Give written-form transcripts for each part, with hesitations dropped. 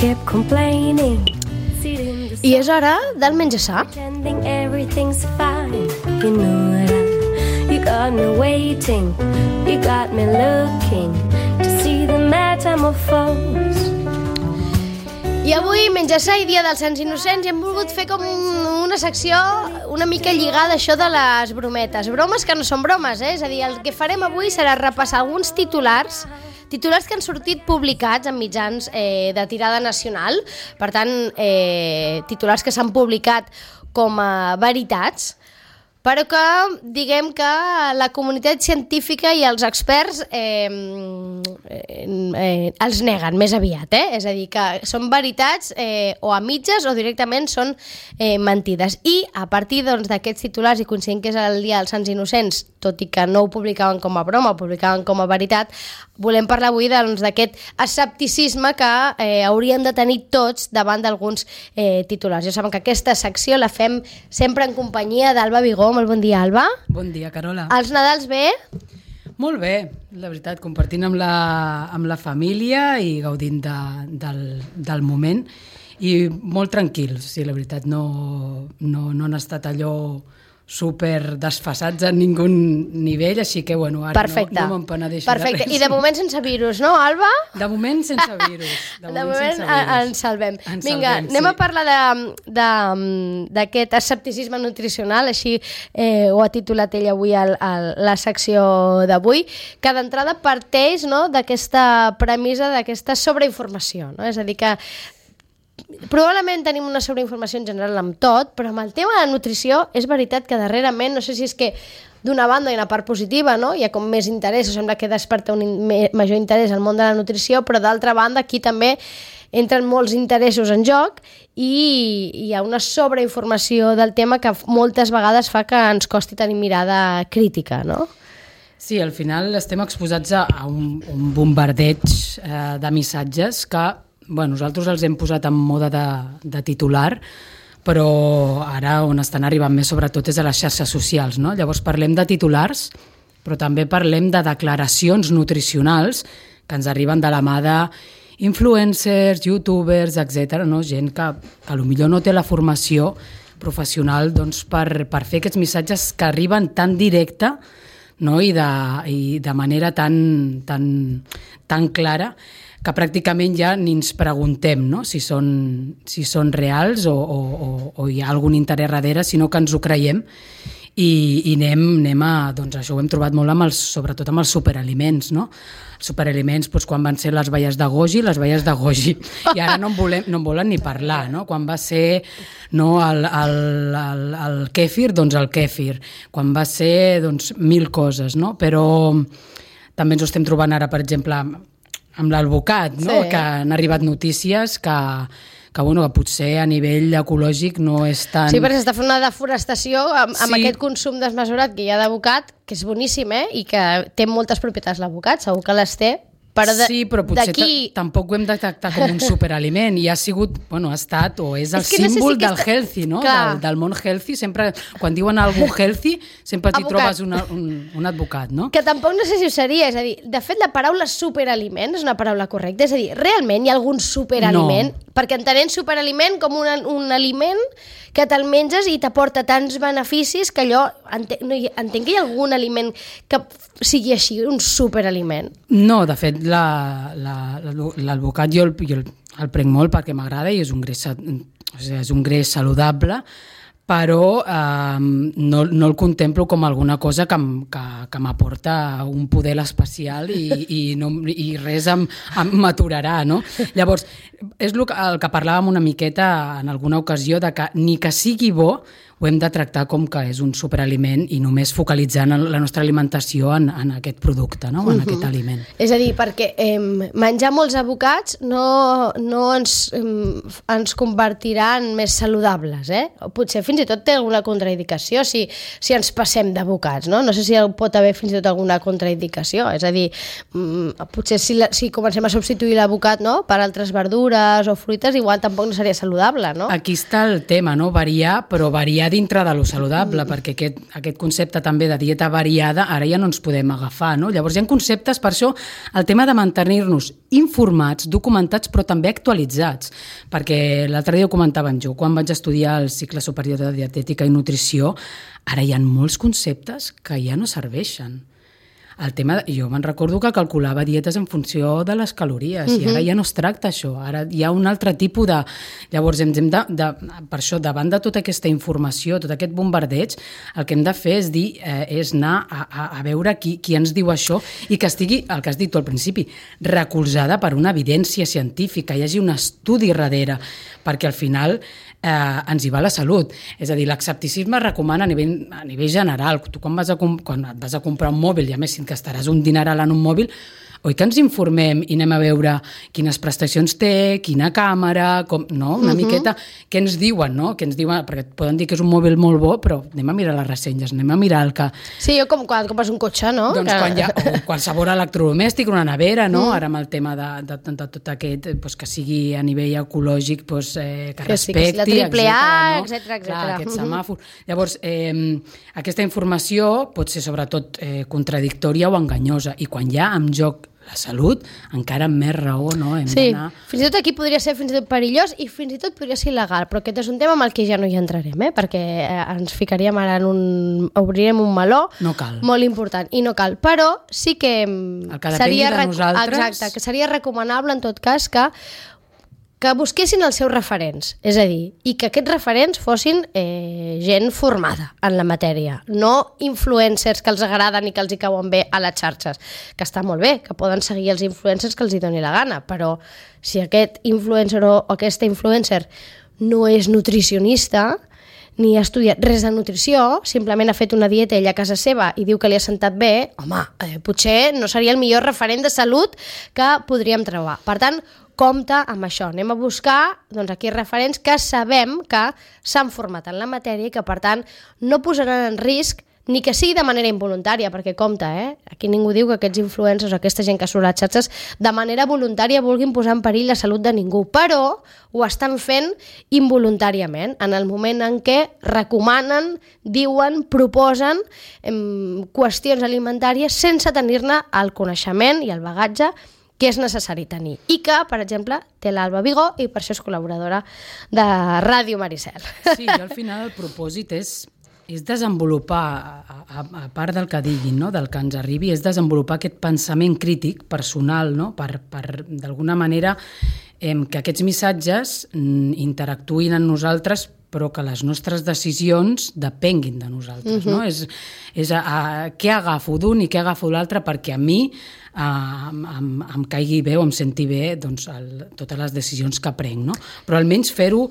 kept complaining. I és hora del menjar sa. Pretending everything's fine. You know that you got me waiting. You got me looking to see the metamorphose. I avui, menjar sa i dia dels Sants Innocents, hem volgut fer com una secció una mica lligada a això de les brometes. Bromes que no són bromes, És a dir, el que farem avui serà repassar alguns titulars que han sortit publicats en mitjans de tirada nacional, per tant, titulars que s'han publicat com a veritats, però que diguem que la comunitat científica i els experts els neguen més aviat, És a dir, que són veritats o a mitges o directament són mentides. I a partir d'aquests titulars, i coincidint que és el dia dels Sants Innocents, tot i que no ho publicaven com a broma, ho publicaven com a veritat, volem parlar avui d'aquest escepticisme que haurien de tenir tots davant d'alguns titulars. Ja saben que aquesta secció la fem sempre en companyia d'Alba Vigó. Molt bon dia, Alba. Bon dia, Carola. Els Nadals bé? Molt bé, la veritat, compartint amb la família i gaudint del moment i molt tranquils. Sí, la veritat, no han estat allò super desfasats a ningú nivell, així que, bueno, ara no me'n penedeixo. Perfecte, i de moment sense virus, no, Alba? De moment sense virus. De moment ens salvem. Vinga, anem a parlar d'aquest escepticisme nutricional, així ho ha titulat ella avui a la secció d'avui, que d'entrada parteix d'aquesta premissa, d'aquesta sobreinformació, és a dir, que probablement tenim una sobreinformació en general amb tot, però amb el tema de la nutrició és veritat que darrerament, no sé si és que d'una banda hi ha una part positiva, hi ha com més interès, sembla que desperta un major interès al món de la nutrició, però d'altra banda aquí també entren molts interessos en joc i hi ha una sobreinformació del tema que moltes vegades fa que ens costi tenir mirada crítica, no? Sí, al final estem exposats a un bombardeig de missatges que nosaltres els hem posat en moda de titular, però ara on estan arribant més sobretot és a les xarxes socials, no? Llavors parlem de titulars, però també parlem de declaracions nutricionals que ens arriben de la mà d'influencers, youtubers, etc. Gent que potser no té la formació professional per fer aquests missatges que arriben tan directe, i de manera tan clara, que pràcticament ja ni ens preguntem si són reals o hi ha algun interès darrere, sinó que ens ho creiem i anem a... Doncs això ho hem trobat molt sobretot amb els superaliments, no? Els superaliments, quan van ser les baies de goji, i ara no en volen ni parlar, no? Quan va ser el kèfir, doncs el kèfir. Quan va ser, mil coses, no? Però també ens ho estem trobant ara, per exemple, amb l'alvocat, no? Sí. Que han arribat notícies que potser a nivell ecològic no és tan... Sí, perquè s'està fent una deforestació amb aquest consum desmesurat que hi ha d'avocat, que és boníssim, i que té moltes propietats l'avocat, segur que les té, però sí, però potser tampoc ho hem de tractar com un superaliment i ha sigut, ha estat o és el símbol del healthy, no? Del món healthy. Sempre, quan diuen algú healthy, sempre t'hi trobes un advocat, no? Que tampoc no sé si ho seria, és a dir, de fet la paraula superaliment és una paraula correcta, és a dir, realment hi ha algun superaliment? No. Perquè entenem superaliment com un aliment que te'l menges i t'aporta tants beneficis que allò, entenc que hi ha algun aliment que sigui així, un superaliment. No, de fet, l'alvocat jo el prenc molt perquè m'agrada i és un greix saludable, però no el contemplo com alguna cosa que m'aporta un poder especial i res m'aturarà, no? Llavors, és el que parlàvem una miqueta en alguna ocasió, de que ni que sigui bo ho hem de tractar com que és un superaliment i només focalitzant la nostra alimentació en aquest producte, no? En aquest aliment. És a dir, perquè menjar molts avocats no ens convertirà en més saludables, Potser fins i tot té alguna contraindicació si ens passem d'avocats, no? No sé si pot haver fins i tot alguna contraindicació, és a dir, potser si comencem a substituir l'avocat, no?, per altres verdures o fruites, igual tampoc no seria saludable, no? Aquí està el tema, no? Variar, però variar ja dintre de lo saludable, perquè aquest concepte també de dieta variada ara ja no ens podem agafar, no? Llavors hi ha conceptes, per això el tema de mantenir-nos informats, documentats, però també actualitzats, perquè l'altre dia ho comentaven jo, quan vaig estudiar el cicle superior de dietètica i nutrició, ara hi ha molts conceptes que ja no serveixen. El tema, jo me'n recordo que calculava dietes en funció de les calories i ara ja no es tracta això, ara hi ha un altre tipus de... Llavors hem de per això, davant de tota aquesta informació, tot aquest bombardeig, el que hem de fer és anar a veure qui ens diu això i que estigui, el que has dit tu al principi, recolzada per una evidència científica, hi hagi un estudi darrere, perquè al final ens hi va la salut. És a dir, l'escepticisme recomana a nivell general. Tu quan et vas a comprar un mòbil, i a més que estaràs un dineral en un mòbil, oi que ens informem i anem a veure quines prestacions té, quina càmera, una miqueta, què ens diuen, no? Què ens diuen, perquè et poden dir que és un mòbil molt bo, però anem a mirar les ressenyes, anem a mirar el que... Sí, jo com quan compres un cotxe, no? Doncs quan hi ha qualsevol electrodomèstic, una nevera, no? Ara amb el tema de tot aquest, que sigui a nivell ecològic, que respecti... La triple A, etcètera. Aquest semàfor. Llavors, aquesta informació pot ser sobretot contradictòria o enganyosa, i quan hi ha en joc la salut, encara amb més raó, no? Hem d'anar... Fins i tot aquí podria ser fins i tot perillós i fins i tot podria ser il·legal, però aquest és un tema amb el que ja no hi entrarem, perquè ens ficaríem ara obrirem un meló molt important, i no cal, però sí que seria de nosaltres... Exacte, que seria recomanable en tot cas que busquessin els seus referents, és a dir, i que aquests referents fossin gent formada en la matèria, no influencers que els agraden i que els hi cauen bé a les xarxes, que està molt bé, que poden seguir els influencers que els hi doni la gana, però si aquest influencer o aquesta influencer no és nutricionista, ni ha estudiat res de nutrició, simplement ha fet una dieta ella a casa seva i diu que li ha sentat bé, home, potser no seria el millor referent de salut que podríem trobar. Per tant, compte amb això. Anem a buscar aquí referents que sabem que s'han format en la matèria i que, per tant, no posaran en risc ni que sigui de manera involuntària, perquè compte, aquí ningú diu que aquests influencers o aquesta gent que surt a les xarxes de manera voluntària vulguin posar en perill la salut de ningú, però ho estan fent involuntàriament, en el moment en què recomanen, diuen, proposen qüestions alimentàries sense tenir-ne el coneixement i el bagatge que és necessari tenir, i que, per exemple, té l'Alba Vigó i per això és col·laboradora de Ràdio Maricel. Sí, jo al final el propòsit és desenvolupar, a part del que diguin, no? Del que ens arribi, és desenvolupar aquest pensament crític personal, no? Per d'alguna manera, que aquests missatges interactuïn amb nosaltres, però que les nostres decisions depenguin de nosaltres, no? És què agafo d'un i què agafo l'altre perquè a mi em caigui bé o em senti bé totes les decisions que prenc, no? Però almenys fer-ho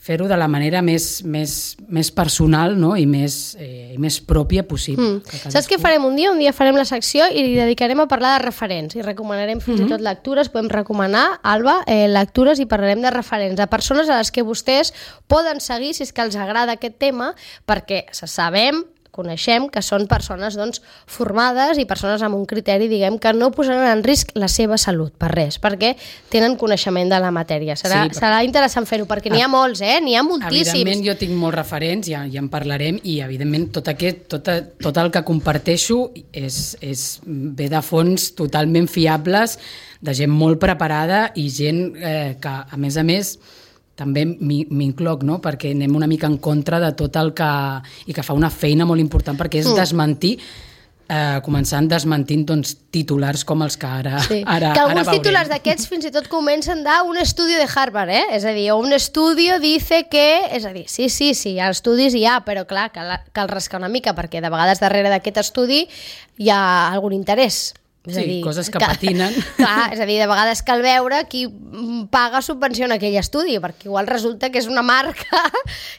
de la manera més personal, no? I més pròpia possible. Saps què farem un dia? Un dia farem la secció i li dedicarem a parlar de referents i recomanarem fins i tot lectures. Podem recomanar, Alba, lectures i parlarem de referents, de persones a les que vostès poden seguir si és que els agrada aquest tema, perquè coneixem que són persones formades i persones amb un criteri, diguem, que no posaran en risc la seva salut per res, perquè tenen coneixement de la matèria. Serà interessant fer-ho, perquè n'hi ha molts, n'hi ha moltíssims. Evidentment jo tinc molts referents, ja en parlarem, i evidentment tot el que comparteixo ve de fonts totalment fiables, de gent molt preparada i gent que, a més, també m'incloc, no? Perquè anem una mica en contra de tot el que... i que fa una feina molt important, perquè és desmentir, començant desmentint titulars com els que ara veurem. Que alguns titulars d'aquests fins i tot comencen d'un estudi de Harvard, és a dir, un estudi dice que... És a dir, sí, estudis hi ha, però clar, cal rascar una mica, perquè de vegades darrere d'aquest estudi hi ha algun interès. Coses que patinen. Clar, és a dir, de vegades cal veure qui paga subvenció en aquell estudi, perquè igual resulta que és una marca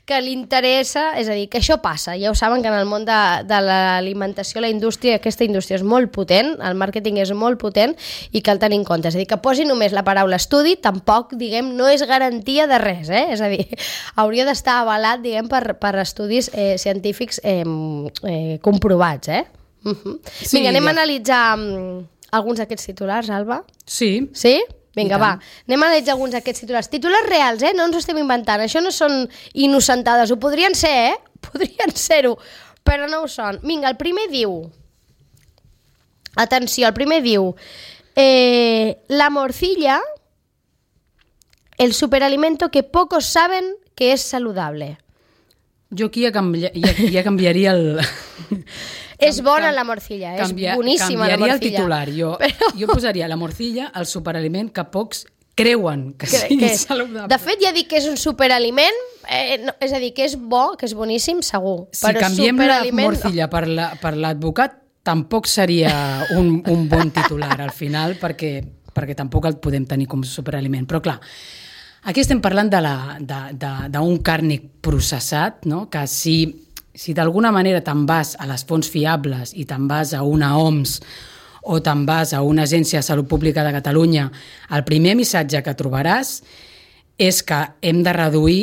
que li interessa, és a dir, que això passa. Ja ho saben que en el món de l'alimentació, la indústria, aquesta indústria és molt potent, el màrqueting és molt potent i cal tenir en compte. És a dir, que posi només la paraula estudi, tampoc, diguem, no és garantia de res, És a dir, hauria d'estar avalat, diguem, per estudis científics comprovats, Vinga, anem a analitzar alguns d'aquests titulars, Alba? Sí. Sí? Vinga, va. Anem a analitzar alguns d'aquests titulars. Titulars reals, no ens ho estem inventant. Això no són innocentades. Ho podrien ser, podrien ser-ho, però no ho són. Vinga, el primer diu... Atenció, el primer diu... la morcilla, el superalimento que pocos saben que es saludable. Jo aquí ja canviaria el... És bona la morcilla, és boníssima la morcilla. Canviaria el titular. Jo posaria la morcilla, el superaliment que pocs creuen que sigui saludable. De fet, ja dic que és un superaliment, és a dir, que és bo, que és boníssim, segur. Si canviem la morcilla per l'advocat, tampoc seria un bon titular al final, perquè tampoc el podem tenir com superaliment. Però clar, aquí estem parlant d'un càrnic processat, no? Que si d'alguna manera te'n vas a les fonts fiables i te'n vas a una OMS o te'n vas a una agència de salut pública de Catalunya, el primer missatge que trobaràs és que hem de reduir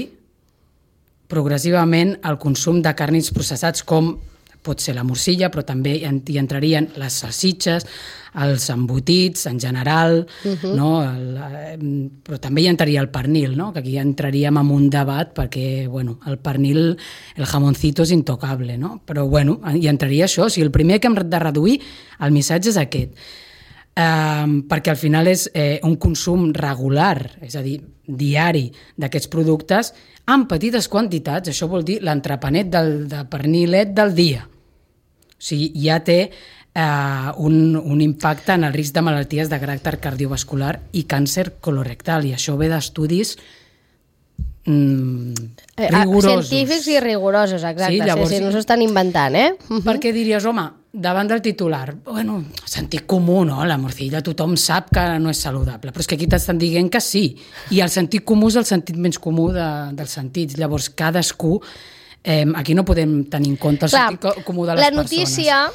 progressivament el consum de càrnics processats, com pot ser la morcilla, però també hi entrarien les salsitxes, els embotits en general, no? Però també hi entraria el pernil, no? Que aquí ja entraríem en un debat perquè el pernil, el jamoncito és intocable, no? Però hi entraria això. O sigui, el primer que hem de reduir, el missatge és aquest. Perquè al final és un consum regular, és a dir, diari d'aquests productes en petites quantitats. Això vol dir l'entrepanet de pernilet del dia. O sigui, ja té un impacte en el risc de malalties de caràcter cardiovascular i càncer colorectal, i això ve d'estudis rigorosos. Científics i rigorosos, exacte. Sí, llavors, no s'ho estan inventant, Perquè diries, home, davant del titular, sentit comú, no? La morcilla tothom sap que no és saludable, però és que aquí t'estan dient que sí, i el sentit comú és el sentit menys comú dels sentits. Llavors, cadascú... aquí no podem tenir en compte el sentit comú de les persones. La notícia,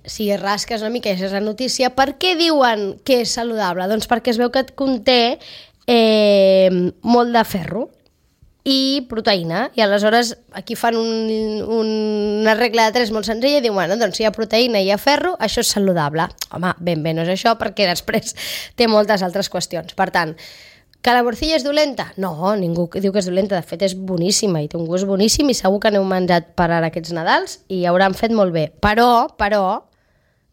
si rasques una mica, és la notícia. Per què diuen que és saludable? Doncs perquè es veu que conté molt de ferro i proteïna, i aleshores aquí fan una regla de 3 molt senzilla i diuen, doncs si hi ha proteïna i hi ha ferro, això és saludable. Home, ben bé no és això, perquè després té moltes altres qüestions. Per tant, que la morcilla és dolenta? No, ningú diu que és dolenta, de fet és boníssima i té un gust boníssim i segur que n'heu menjat per ara aquests Nadals i hauran fet molt bé. Però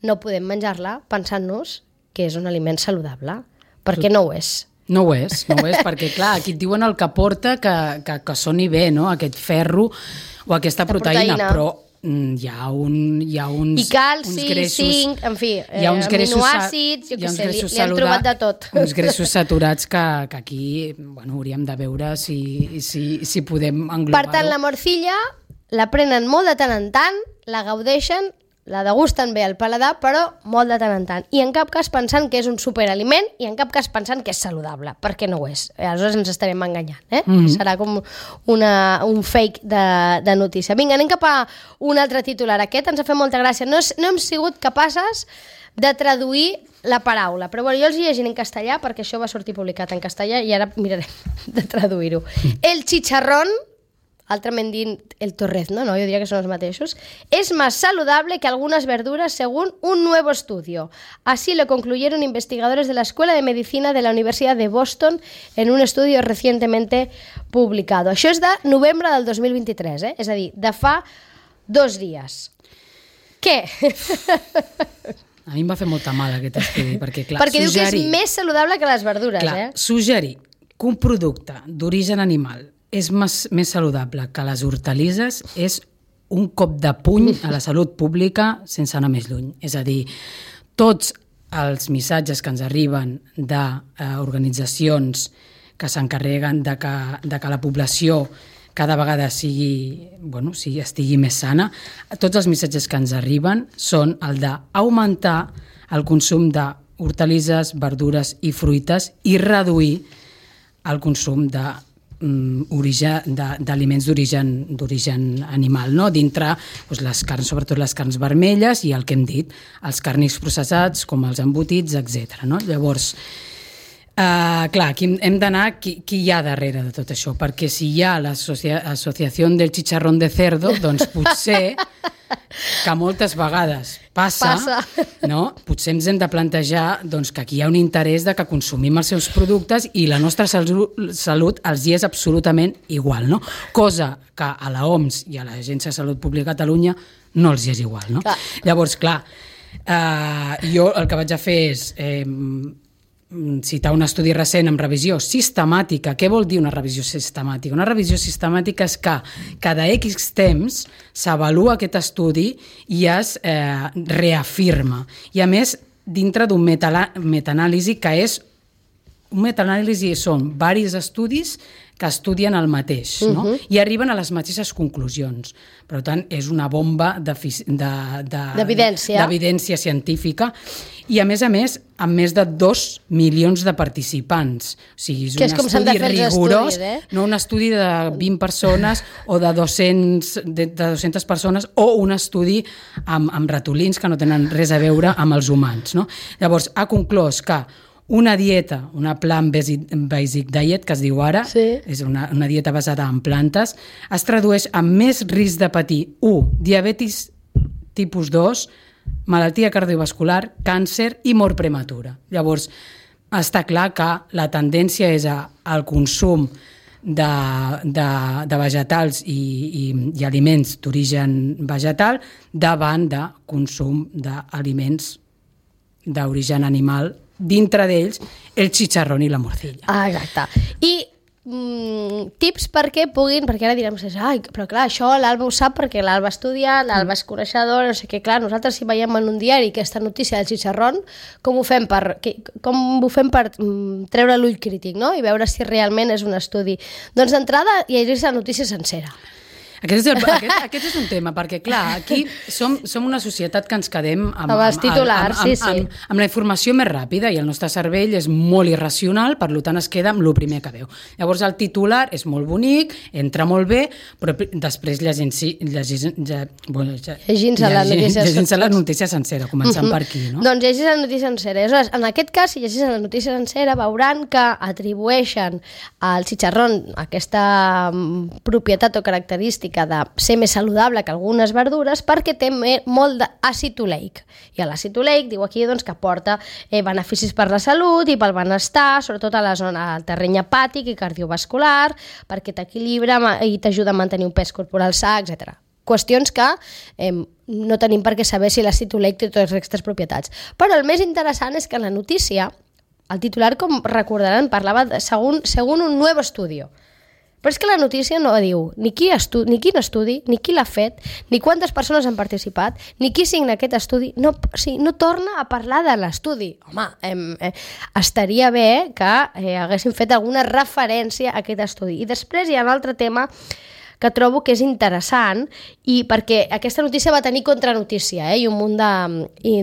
no podem menjar-la pensant-nos que és un aliment saludable, perquè no ho és. No ho és, perquè clar, aquí et diuen el que porta que soni bé, no? Aquest ferro o aquesta proteïna, però hi ha uns i calci, zinc, en fi, aminoàcids, jo què sé, li hem trobat de tot. Uns greixos saturats que aquí hauríem de veure si podem englobar-ho. Per tant, la morcilla la prenen molt de tant en tant, la gaudeixen, la degusten bé al paladar, però molt de tant en tant. I en cap cas pensant que és un superaliment i en cap cas pensant que és saludable, perquè no ho és. Aleshores ens estarem enganyant. Serà com un fake de notícia. Vinga, anem cap a un altre titular. Aquest ens ha fet molta gràcia. No hem sigut capaces de traduir la paraula, però jo els llegiré en castellà perquè això va sortir publicat en castellà i ara mirarem de traduir-ho. El chicharrón, altrament dit el torrezno, ¿no? Yo diría que son los mateixos, es más saludable que algunas verduras según un nuevo estudio. Así lo concluyeron investigadores de la Escuela de Medicina de la Universidad de Boston en un estudio recientemente publicado. Això és de novembre del 2023, és a dir, de fa 2 dies. Què? A mi em va fer molta mal aquest estudi, perquè clar, perquè diu que és més saludable que les verdures, clar, suggerir que un producte d'origen animal és més saludable que les hortalisses és un cop de puny a la salut pública sense anar més lluny. És a dir, tots els missatges que ens arriben d'organitzacions que s'encarreguen de que la població cada vegada estigui més sana, tots els missatges que ens arriben són el d'augmentar el consum d'hortalisses, verdures i fruites i reduir el consum d'aliments d'origen animal, no? Dintre les carns, sobretot les carns vermelles i el que hem dit, els càrnics processats com els embotits, etc. No? Llavors, clar, aquí hem d'anar qui hi ha darrere de tot això, perquè si hi ha l'associació del chicharrón de cerdo, doncs potser que moltes vegades passa. No? Potser ens hem de plantejar doncs, que aquí hi ha un interès de que consumim els seus productes i la nostra salut els hi és absolutament igual, no? Cosa que a l'OMS i a l'Agència de Salut Pública de Catalunya no els hi és igual, no? Llavors, clar, jo el que vaig a fer és citar un estudi recent amb revisió sistemàtica. Què vol dir una revisió sistemàtica? Una revisió sistemàtica és que cada X temps s'avalua aquest estudi i es reafirma. I a més, dintre d'un metaanàlisi que és... Un metaanàlisi són diversos estudis que estudien el mateix, no? I arriben a les mateixes conclusions. Per tant, és una bomba d'evidència científica i, a més, amb més de 2 milions de participants. O sigui, és un estudi rigorós, no un estudi de 20 persones o de 200 persones o un estudi amb ratolins que no tenen res a veure amb els humans, no? Llavors, ha conclòs que una dieta, una plant-based diet, que es diu ara, és una dieta basada en plantes, es tradueix amb més risc de patir 1. Diabetis tipus 2, malaltia cardiovascular, càncer i mort prematura. Llavors, està clar que la tendència és al consum de vegetals i aliments d'origen vegetal davant de consum d'aliments d'origen animal, dintre d'ells el chicharrón i la morcilla. Exacte. I tips perquè puguin, perquè ara direm, però clar, això l'Alba ho sap perquè l'Alba ha estudiat, l'Alba és coneixedora, no sé què, clar, nosaltres si veiem en un diari aquesta notícia del chicharrón, com ho fem per treure l'ull crític, no? I veure si realment és un estudi. Doncs d'entrada llegir-se la notícia sencera. Aquest és un tema, perquè clar, aquí som una societat que ens quedem amb els titulars, amb la informació més ràpida i el nostre cervell és molt irracional, per tant es queda amb el primer que veu. Llavors el titular és molt bonic, entra molt bé, però després llegint-se la notícia sencera, començant per aquí, no? Doncs llegir la notícia sencera. En aquest cas, si llegís la notícia sencera, veuran que atribueixen al chicharrón aquesta propietat o característica de ser més saludable que algunes verdures perquè té molt d'àcid oleic. I l'àcid oleic diu aquí doncs, que aporta beneficis per la salut i pel benestar, sobretot a la zona del terreny hepàtic i cardiovascular, perquè t'equilibra i t'ajuda a mantenir un pes corporal sa, etc. Qüestions que no tenim per què saber si l'àcid oleic té totes aquestes propietats. Però el més interessant és que en la notícia, el titular, com recordaran, parlava según un nuevo estudio. Però és que la notícia no diu ni quin estudi, ni qui l'ha fet, ni quantes persones han participat, ni qui signa aquest estudi. No torna a parlar de l'estudi. Home, estaria bé que haguessin fet alguna referència a aquest estudi. I després hi ha un altre tema que trobo que és interessant i perquè aquesta notícia va tenir contranotícia i un munt de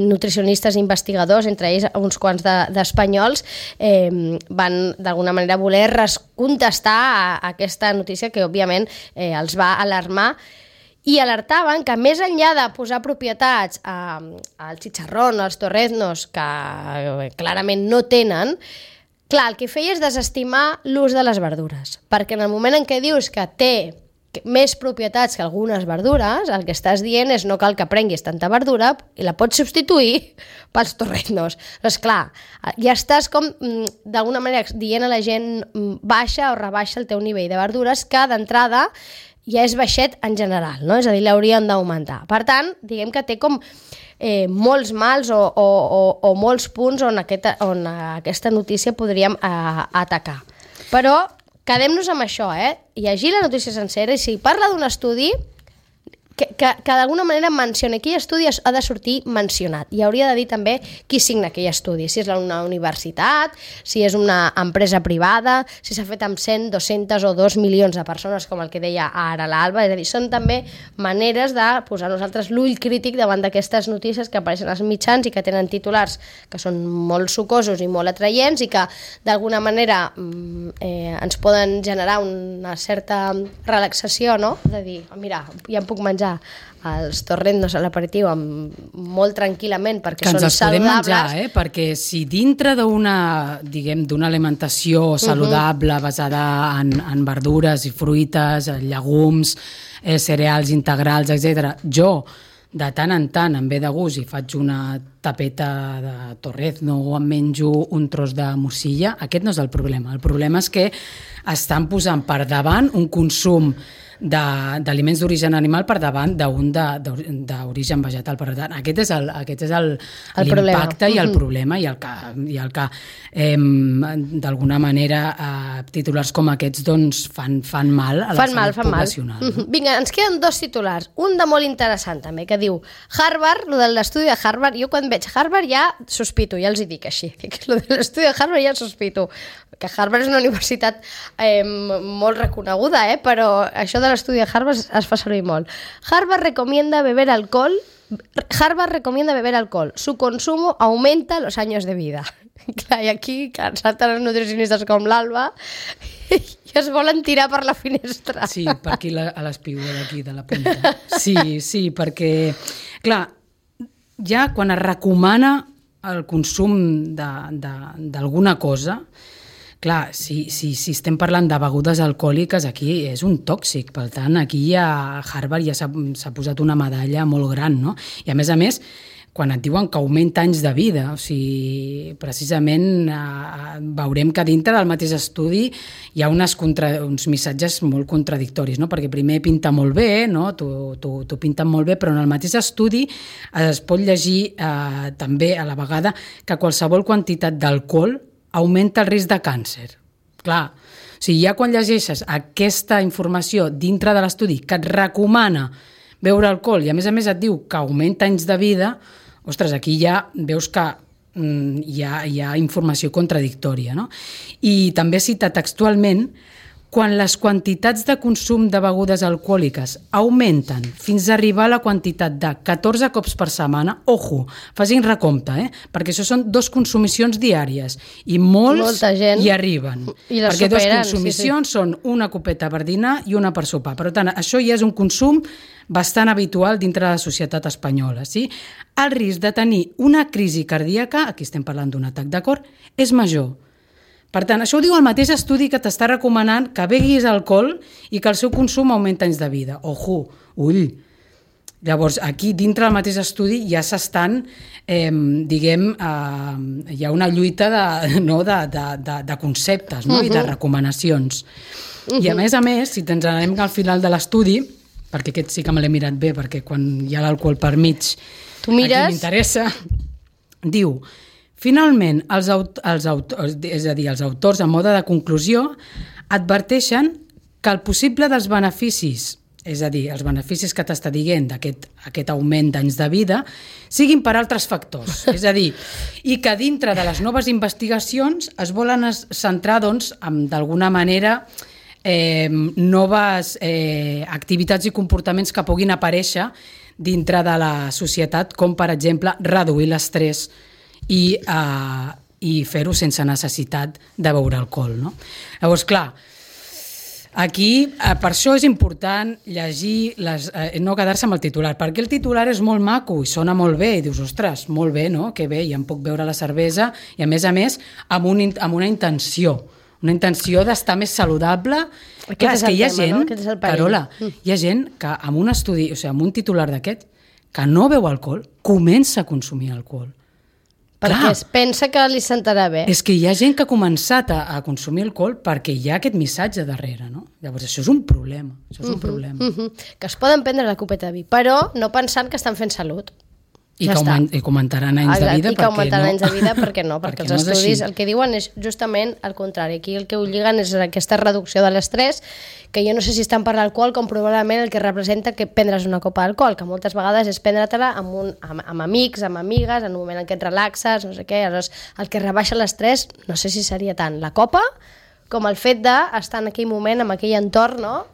nutricionistes i investigadors, entre ells uns quants d'espanyols, van d'alguna manera voler contestar a aquesta notícia que òbviament els va alarmar i alertaven que més enllà de posar propietats al chicharrón, als torreznos, que clarament no tenen, clar, el que feia és desestimar l'ús de les verdures, perquè en el moment en què dius que té més propietats que algunes verdures, el que estàs dient és no cal que prenguis tanta verdura i la pots substituir pels torreznos. Doncs clar, ja estàs com d'alguna manera dient a la gent baixa o rebaixa el teu nivell de verdures que d'entrada ja és baixet en general, no? És a dir, l'haurien d'augmentar. Per tant, diguem que té com molts mals o molts punts on aquesta notícia podríem atacar. Però quedem-nos amb això, llegir la notícia sencera i si parla d'un estudi que d'alguna manera menciona aquell estudi ha de sortir mencionat i hauria de dir també qui signa aquell estudi, si és una universitat, si és una empresa privada, si s'ha fet amb 100, 200 o 2 milions de persones com el que deia ara l'Alba, és a dir, són també maneres de posar nosaltres l'ull crític davant d'aquestes notícies que apareixen als mitjans i que tenen titulars que són molt sucosos i molt atraients i que d'alguna manera ens poden generar una certa relaxació, no? De dir, mira, ja em puc menjar els torreznos a l'aperitiu molt tranquil·lament perquè són saludables. Que ens els podem menjar, perquè si dintre d'una alimentació saludable basada en verdures i fruites, llegums, cereals integrals, etc., jo de tant en tant em ve de gust i faig una tapeta de torrezno o em menjo un tros de morcilla, aquest no és el problema. El problema és que estan posant per davant un consum d'aliments d'origen animal per davant d'un d'origen vegetal. Per tant, aquest és l'impacte i el problema i el que d'alguna manera titulars com aquests doncs fan mal a la salut poblacional. Vinga, ens queden 2 titulars. Un de molt interessant també, que diu Harvard, lo de l'estudi de Harvard, jo quan veig Harvard ja sospito, ja els hi dic així, que lo de l'estudi de Harvard ja sospito, que Harvard és una universitat molt reconeguda, però això de l'estudi de Harvard es fa servir molt. Harvard recomienda beber alcohol, su consumo aumenta los años de vida. Clar, i aquí salten els nutricionistes com l'Alba i es volen tirar per la finestra. Sí, per aquí a l'espigó d'aquí, de la punta. Sí, perquè, clar, ja quan es recomana el consum d'alguna cosa, clar, si estem parlant de begudes alcohòliques, aquí és un tòxic. Per tant, aquí a Harvard ja s'ha posat una medalla molt gran, no? I a més, quan et diuen que augmenta anys de vida, o sigui, precisament veurem que dintre del mateix estudi hi ha uns missatges molt contradictoris, no? Perquè primer pinta molt bé, no? T'ho pinten molt bé, però en el mateix estudi es pot llegir també a la vegada que qualsevol quantitat d'alcohol augmenta el risc de càncer. Clar, o sigui, ja quan llegeixes aquesta informació dintre de l'estudi que et recomana beure alcohol i a més et diu que augmenta anys de vida, ostres, aquí ja veus que hi ha informació contradictòria, no? I també cita textualment: quan les quantitats de consum de begudes alcohòliques augmenten fins a arribar a la quantitat de 14 cops per setmana, ojo, facin recompte, perquè això són 2 consumicions diàries i molta gent hi arriben. I les perquè superen, 2 consumicions són una copeta per dinar i una per sopar. Per tant, això ja és un consum bastant habitual dintre de la societat espanyola. Sí? El risc de tenir una crisi cardíaca, aquí estem parlant d'un atac de cor, és major. Per tant, això ho diu el mateix estudi que t'està recomanant que beguis alcohol i que el seu consum augmenta anys de vida. Ojo, ull. Llavors, aquí, dintre del mateix estudi, ja s'estan, hi ha una lluita de conceptes, no? I de recomanacions. I a més, si ens anem al final de l'estudi, perquè aquest sí que me l'he mirat bé, perquè quan hi ha l'alcohol per mig, aquí m'interessa, diu: finalment, els autors, en mode de conclusió, adverteixen que el possible dels beneficis, és a dir, els beneficis que t'està dient d'aquest augment d'anys de vida, siguin per altres factors. És a dir, i que dintre de les noves investigacions es volen centrar, doncs, d'alguna manera, noves activitats i comportaments que puguin aparèixer dintre de la societat, com, per exemple, reduir l'estrès i fer-ho sense necessitat de beure alcohol, no? Llavors, clar, aquí, per això és important llegir, no quedar-se amb el titular, perquè el titular és molt maco i sona molt bé, i dius, ostres, molt bé, no? Que bé, ja em puc beure la cervesa, i a més, amb una intenció d'estar més saludable. Clar, és que hi ha gent, Carola, hi ha gent que amb un estudi, o sigui, amb un titular d'aquest, que no beu alcohol, comença a consumir alcohol. Perquè es pensa que li sentarà bé. És que hi ha gent que ha començat a consumir alcohol perquè hi ha aquest missatge darrere, no? Llavors, això és un problema. Que es poden prendre la copeta de vi, però no pensant que estan fent salut. I que augmentaran anys de vida, perquè no, perquè els estudis el que diuen és justament el contrari. Aquí el que ho lliguen és aquesta reducció de l'estrès, que jo no sé si estan per l'alcohol, com probablement el que representa que prendre's una copa d'alcohol, que moltes vegades és prendre-te-la amb amics, amb amigues, en un moment en què et relaxes, no sé què. Aleshores, el que rebaixa l'estrès, no sé si seria tant la copa com el fet d'estar en aquell moment, en aquell entorn, no?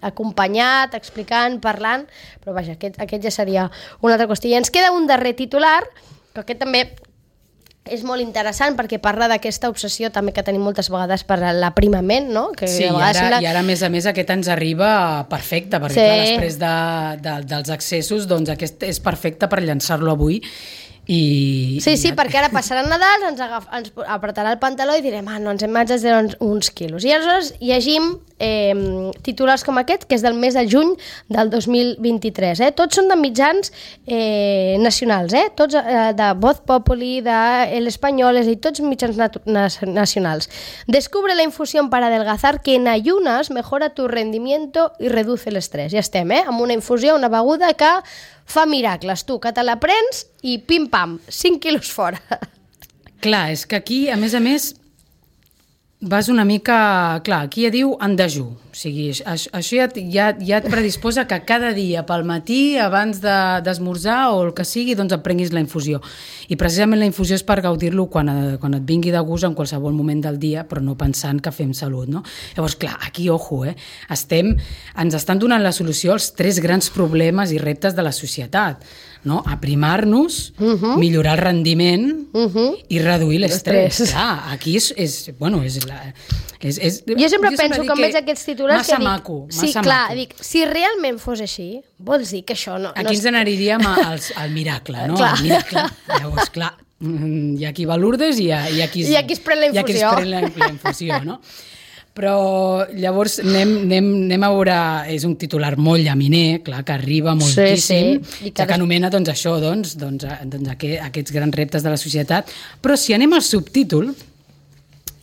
Acompanyat, explicant, parlant, però vaja, aquest ja seria una altra qüestió. I ens queda un darrer titular, que aquest també és molt interessant perquè parla d'aquesta obsessió també que tenim moltes vegades per l'aprimament, no? Que sí, i ara a més aquest ens arriba perfecte, perquè clar, després dels excessos, doncs aquest és perfecte per llançar-lo avui. Sí, perquè ara passaran Nadal, ens apretarà el pantaló i direm, no, ens hem exagerat uns quilos. I aleshores llegim titulars com aquest, que és del mes de juny del 2023. Tots són de mitjans nacionals, tots de Voz Populi, de El Español, i tots mitjans nacionals. Descubre la infusión para adelgazar que en ayunas mejora tu rendimiento y reduce el estrés. Ja estem, amb una infusió, una beguda que fa miracles, tu, que te la prens i pim-pam, 5 quilos fora. Clar, és que aquí, a més, vas una mica... Clar, aquí ja diu en dejú. O sigui, això ja et predisposa que cada dia pel matí, abans d'esmorzar o el que sigui, doncs et prenguis la infusió. I precisament la infusió és per gaudir-lo quan et vingui de gust en qualsevol moment del dia, però no pensant que fem salut, no? Llavors, clar, aquí, ojo, ens estan donant la solució als 3 grans problemes i reptes de la societat, no? Aprimar-nos, millorar el rendiment i reduir l'estrès. Clar, aquí jo sempre penso que veig aquests titulars massa maco. Sí, clar, dic, si realment fos així, vols dir que això no... Aquí ens n'aniríem al miracle, no? Al miracle. Llavors, clar, hi ha qui va a Lourdes i hi ha qui es pren la infusió. La infusió, no? Però llavors anem a veure, és un titular molt llaminer, clar, que arriba moltíssim, que anomena doncs, això, aquests grans reptes de la societat, però si anem al subtítol,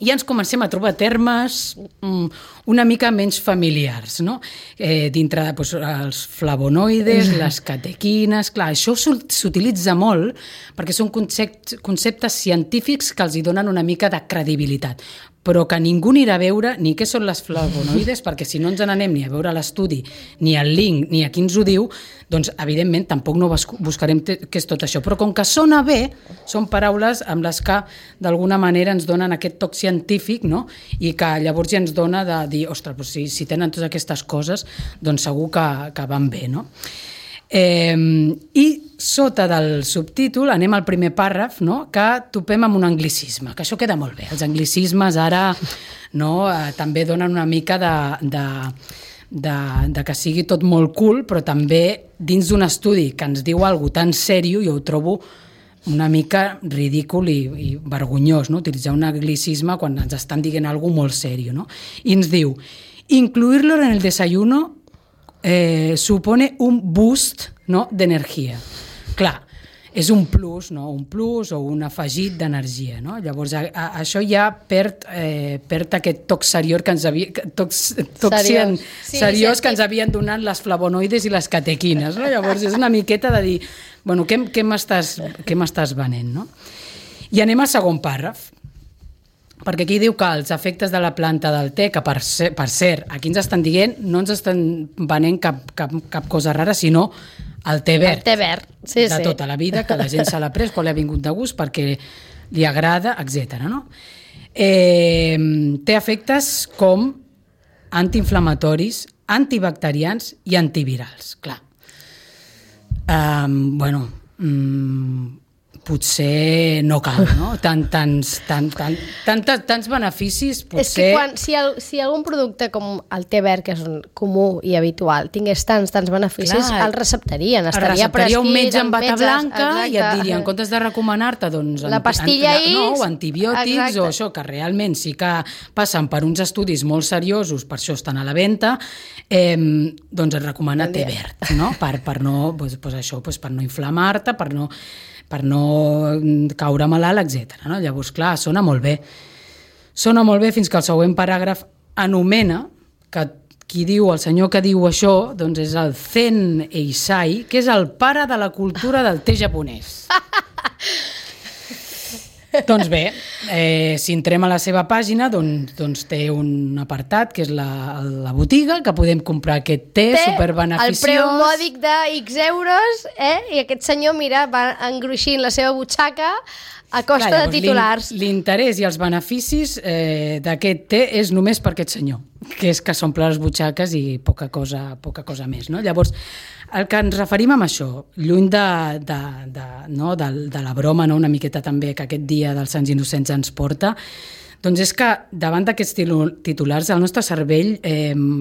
ja ens comencem a trobar termes una mica menys familiars, no? Dintre els flavonoides, les catequines... Clar, això s'utilitza molt perquè són conceptes científics que els hi donen una mica de credibilitat, però que ningú anirà a veure ni què són les flavonoides, perquè si no ens n'anem ni a veure l'estudi, ni el link, ni a qui ens ho diu, doncs, evidentment, tampoc no buscarem què és tot això. Però com que sona bé, són paraules amb les que, d'alguna manera, ens donen aquest toc científic, no? I que llavors ja ens dona de dir, ostres, doncs si tenen totes aquestes coses, doncs segur que van bé, no? I sota del subtítol anem al primer pàrraf, no? Que topem amb un anglicisme, que això queda molt bé. Els anglicismes ara també donen una mica de que sigui tot molt cool, però també dins d'un estudi que ens diu alguna cosa tan sèrio, jo ho trobo una mica ridícul i vergonyós, no? Utilitzar un anglicisme quan ens estan dient alguna cosa molt sèrio, no? I ens diu, incluirlo en el desayuno supone un boost, no? D'energia. Clar, és un plus, no? Un plus o un afegit d'energia, no? Llavors, això ja perd aquest toc seriós que ens havien donat les flavonoides i les catequines, no? Llavors, és una miqueta de dir, bueno, què m'estàs venent, no? I anem al segon pàrraf, perquè aquí diu que els efectes de la planta del te, que per cert, aquí ens estan dient, no ens estan venent cap cosa rara, sinó el te verd. El te verd, sí. De tota la vida, que la gent se l'ha pres quan li ha vingut de gust, perquè li agrada, etc. No? Té efectes com antiinflamatoris, antibacterians i antivirals, clar. Potser no cal, no? Tants beneficis, potser... És que si algun producte com el te verd, que és comú i habitual, tingués tants beneficis, clar, el receptarien, estaria prescrit un metge amb bata blanca, exacte, i et diria, en comptes de recomanar-te, doncs... La pastilla X... o antibiòtics, exacte, o això, que realment sí que passen per uns estudis molt seriosos, per això estan a la venda, doncs et recomana te verd, no? Per no, per no inflamar-te, per no caure malalt, etc. No? Llavors, clar, sona molt bé. Sona molt bé fins que el següent paràgraf anomena que qui diu, el senyor que diu això, doncs és el Zen Eisai, que és el pare de la cultura del te japonès. Doncs bé, si entrem a la seva pàgina, doncs té un apartat, que és la botiga, que podem comprar aquest te superbeneficiós. El preu mòdic de X euros, i aquest senyor, mira, va engruixint la seva butxaca a costa de titulars. L'interès i els beneficis d'aquest te és només per aquest senyor, que és que s'omple les butxaques i poca cosa més, no? Llavors, el que ens referim amb això, lluny de la broma, no? Una miqueta també que aquest dia dels Sants Innocents ens porta, doncs és que davant d'aquests titulars el nostre cervell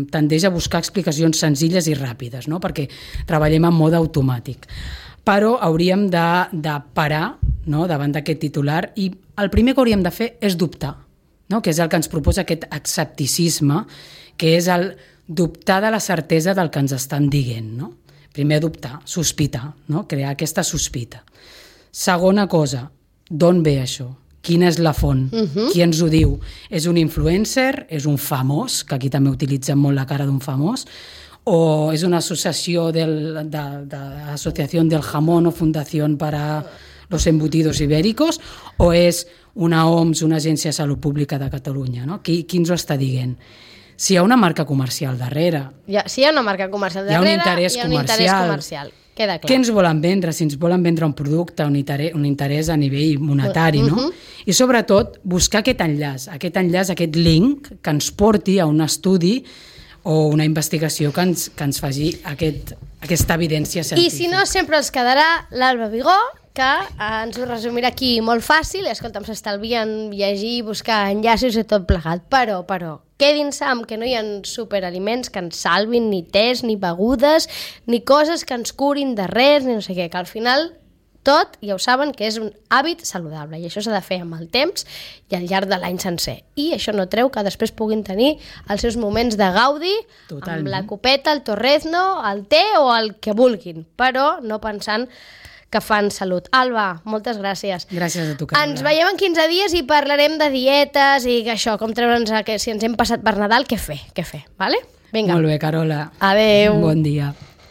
tendeix a buscar explicacions senzilles i ràpides, no? Perquè treballem en mode automàtic. Però hauríem de parar, no? Davant d'aquest titular, i el primer que hauríem de fer és dubtar. no? Que és el que ens proposa aquest escepticisme, que és el dubtar de la certesa del que ens estan dient, no? Primer dubtar, sospitar, no? Crear aquesta sospita. Segona cosa, d'on ve això? Quina és la font? Qui ens ho diu? És un influencer? És un famós? Que aquí també utilitzen molt la cara d'un famós? O és una associació de l'Associació del Jamón o Fundació para los Embutidos Ibéricos? O és una OMS, una Agència de Salut Pública de Catalunya? No? Qui ens ho està dient? Si hi ha una marca comercial darrere. Si hi ha una marca comercial darrere, hi ha un interès comercial. Queda clar. Què ens volen vendre? Si ens volen vendre un producte, un interès a nivell monetari, no? I sobretot buscar aquest enllaç, aquest link que ens porti a un estudi o una investigació que ens faci aquesta evidència científica. I si no, sempre ens quedarà l'Alba Vigó, que ens ho resumirà aquí molt fàcil, escolta'm, s'estalvien llegir, buscar enllaços i tot plegat, però quedin-se amb que no hi ha superaliments que ens salvin, ni tés, ni begudes, ni coses que ens curin de res, ni no sé què, que al final tot, ja ho saben, que és un hàbit saludable i això s'ha de fer amb el temps i al llarg de l'any sencer. I això no treu que després puguin tenir els seus moments de gaudi amb la copeta, el torrezno, el té o el que vulguin, però no pensant que fan salut. Alba, moltes gràcies. Gràcies a tu, Carola. Ens veiem en 15 dies i parlarem de dietes i això, com treure'ns si ens hem passat per Nadal, què fer, vale? Vinga. Molt bé, Carola. Adéu. Bon dia.